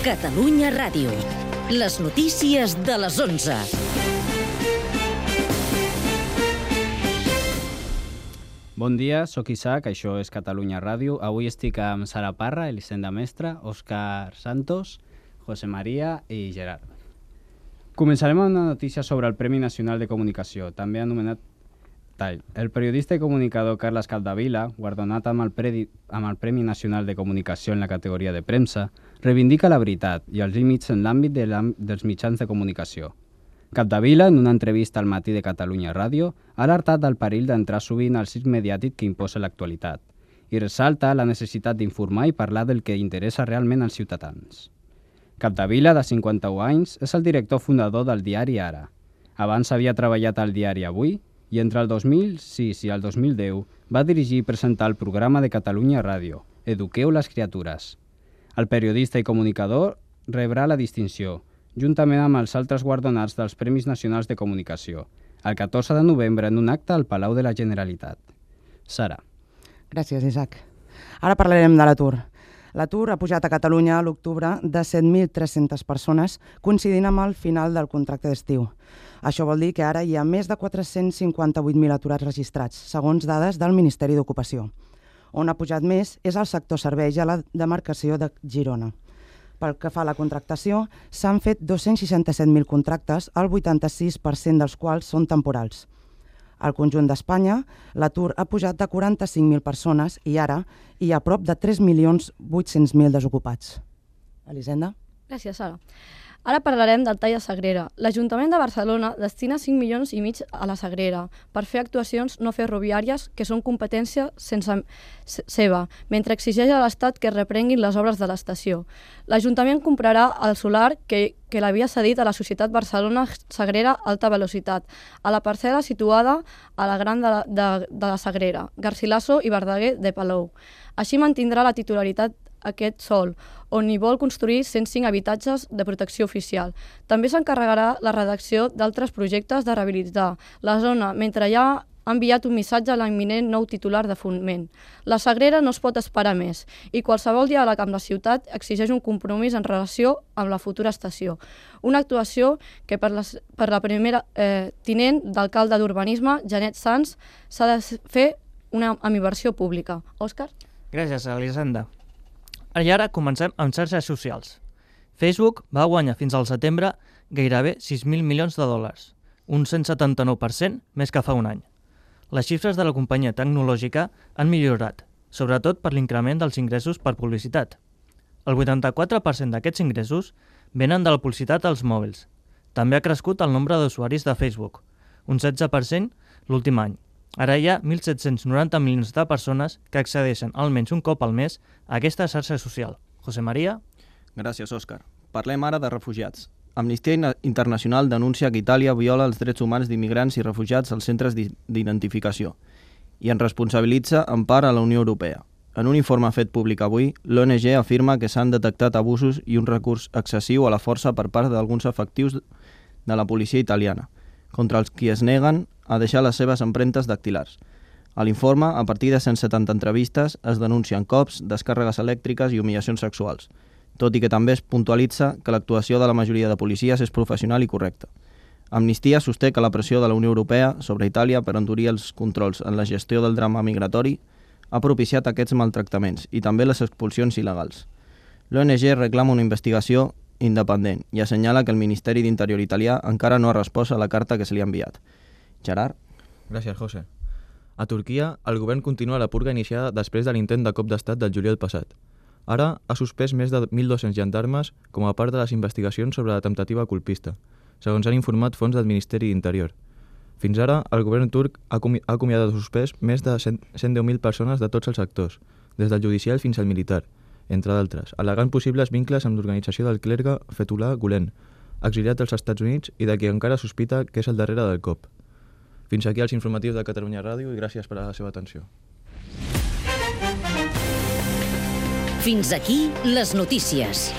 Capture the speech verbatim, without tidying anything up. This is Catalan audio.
Catalunya Ràdio. Les notícies de les onze. Bon dia, sóc Isaac, això és Catalunya Ràdio. Avui estic amb Sara Parra, Elisenda Mestre, Òscar Santos, José María i Gerard. Començarem amb una notícia sobre el Premi Nacional de Comunicació, també anomenat T A I. El periodista i comunicador Carles Capdevila, guardonat amb el, Predi, amb el Premi Nacional de Comunicació en la categoria de premsa, reivindica la veritat i els límits en l'àmbit de dels mitjans de comunicació. Capdevila, en una entrevista al Matí de Catalunya Ràdio, ha alertat del perill d'entrar sovint al circ mediàtic que imposa l'actualitat i ressalta la necessitat d'informar i parlar del que interessa realment als ciutadans. Capdevila, de cinquanta-un anys, és el director fundador del diari Ara. Abans havia treballat al diari Avui i entre el dos mil sis i el dos mil deu va dirigir i presentar el programa de Catalunya Ràdio, Eduqueu les criatures. El periodista i comunicador rebrà la distinció, juntament amb els altres guardonats dels Premis Nacionals de Comunicació, el catorze de novembre en un acte al Palau de la Generalitat. Sara. Gràcies, Isaac. Ara parlarem de l'atur. L'atur ha pujat a Catalunya a l'octubre de set mil tres-centes persones, coincidint amb el final del contracte d'estiu. Això vol dir que ara hi ha més de quatre-cents cinquanta-vuit mil aturats registrats, segons dades del Ministeri d'Ocupació. On ha pujat més és el sector serveis a la demarcació de Girona. Pel que fa a la contractació, s'han fet dos-cents seixanta-set mil contractes, el vuitanta-sis per cent dels quals són temporals. Al conjunt d'Espanya, l'atur ha pujat de quaranta-cinc mil persones i ara hi ha prop de tres milions vuit-cents mil desocupats. Elisenda? Gràcies, Sara. Ara parlarem del tall de Sagrera. L'Ajuntament de Barcelona destina cinc milions i mig a la Sagrera per fer actuacions no ferroviàries que són competència sense seva, mentre exigeix a l'Estat que reprenguin les obres de l'estació. L'Ajuntament comprarà el solar que, que l'havia cedit a la Societat Barcelona Sagrera Alta Velocitat, a la parcel·la situada a la Gran de la, de, de la Sagrera, Garcilaso i Verdaguer de Palou. Així mantindrà la titularitat aquest sòl, on hi vol construir cent cinc habitatges de protecció oficial. També s'encarregarà la redacció d'altres projectes de rehabilitar la zona, mentre ja ha enviat un missatge a l'imminent nou titular de Foment. La Sagrera no es pot esperar més i qualsevol diàleg amb la ciutat exigeix un compromís en relació amb la futura estació. Una actuació que per la, per la primera eh, tinent d'alcalde d'Urbanisme, Janet Sanz, s'ha de fer una amb inversió pública. Òscar? Gràcies, Elisenda. I ara comencem amb xarxes socials. Facebook va guanyar fins al setembre gairebé sis mil milions de dòlars, un cent setanta-nou per cent més que fa un any. Les xifres de la companyia tecnològica han millorat, sobretot per l'increment dels ingressos per publicitat. El vuitanta-quatre per cent d'aquests ingressos venen de la publicitat als mòbils. També ha crescut el nombre d'usuaris de Facebook, un setze per cent l'últim any. Ara hi ha mil set-cents noranta milions de persones que accedeixen almenys un cop al mes a aquesta xarxa social. José María? Gràcies, Òscar. Parlem ara de refugiats. Amnistia Internacional denuncia que Itàlia viola els drets humans d'immigrants i refugiats als centres d'identificació i en responsabilitza en part a la Unió Europea. En un informe fet públic avui, l'O N G afirma que s'han detectat abusos i un recurs excessiu a la força per part d'alguns efectius de la policia italiana, contra els qui es neguen a deixar les seves empremtes dactilars. A l'informe, a partir de cent setanta entrevistes, es denuncien cops, descàrregues elèctriques i humillacions sexuals, tot i que també es puntualitza que l'actuació de la majoria de policies és professional i correcta. Amnistia sosté que la pressió de la Unió Europea sobre Itàlia per endurir els controls en la gestió del drama migratori ha propiciat aquests maltractaments i també les expulsions il·legals. L'O N G reclama una investigació independent i assenyala que el Ministeri d'Interior italià encara no ha respost a la carta que se li ha enviat. Gerard? Gràcies, José. A Turquia, el govern continua la purga iniciada després de l'intent de cop d'estat del juliol passat. Ara ha suspès més de mil dos-cents gendarmes com a part de les investigacions sobre la temptativa colpista, segons han informat fonts del Ministeri d'Interior. Fins ara, el govern turc ha acomiadat o suspès més de cent deu mil persones de tots els sectors, des del judicial fins al militar, entre d'altres, al·legant possibles vincles amb l'organització del clergue Fethullah Gülen, exiliat dels Estats Units i de qui encara sospita que és al darrere del cop. Fins aquí els informatius de Catalunya Ràdio i gràcies per a la seva atenció. Fins aquí les notícies.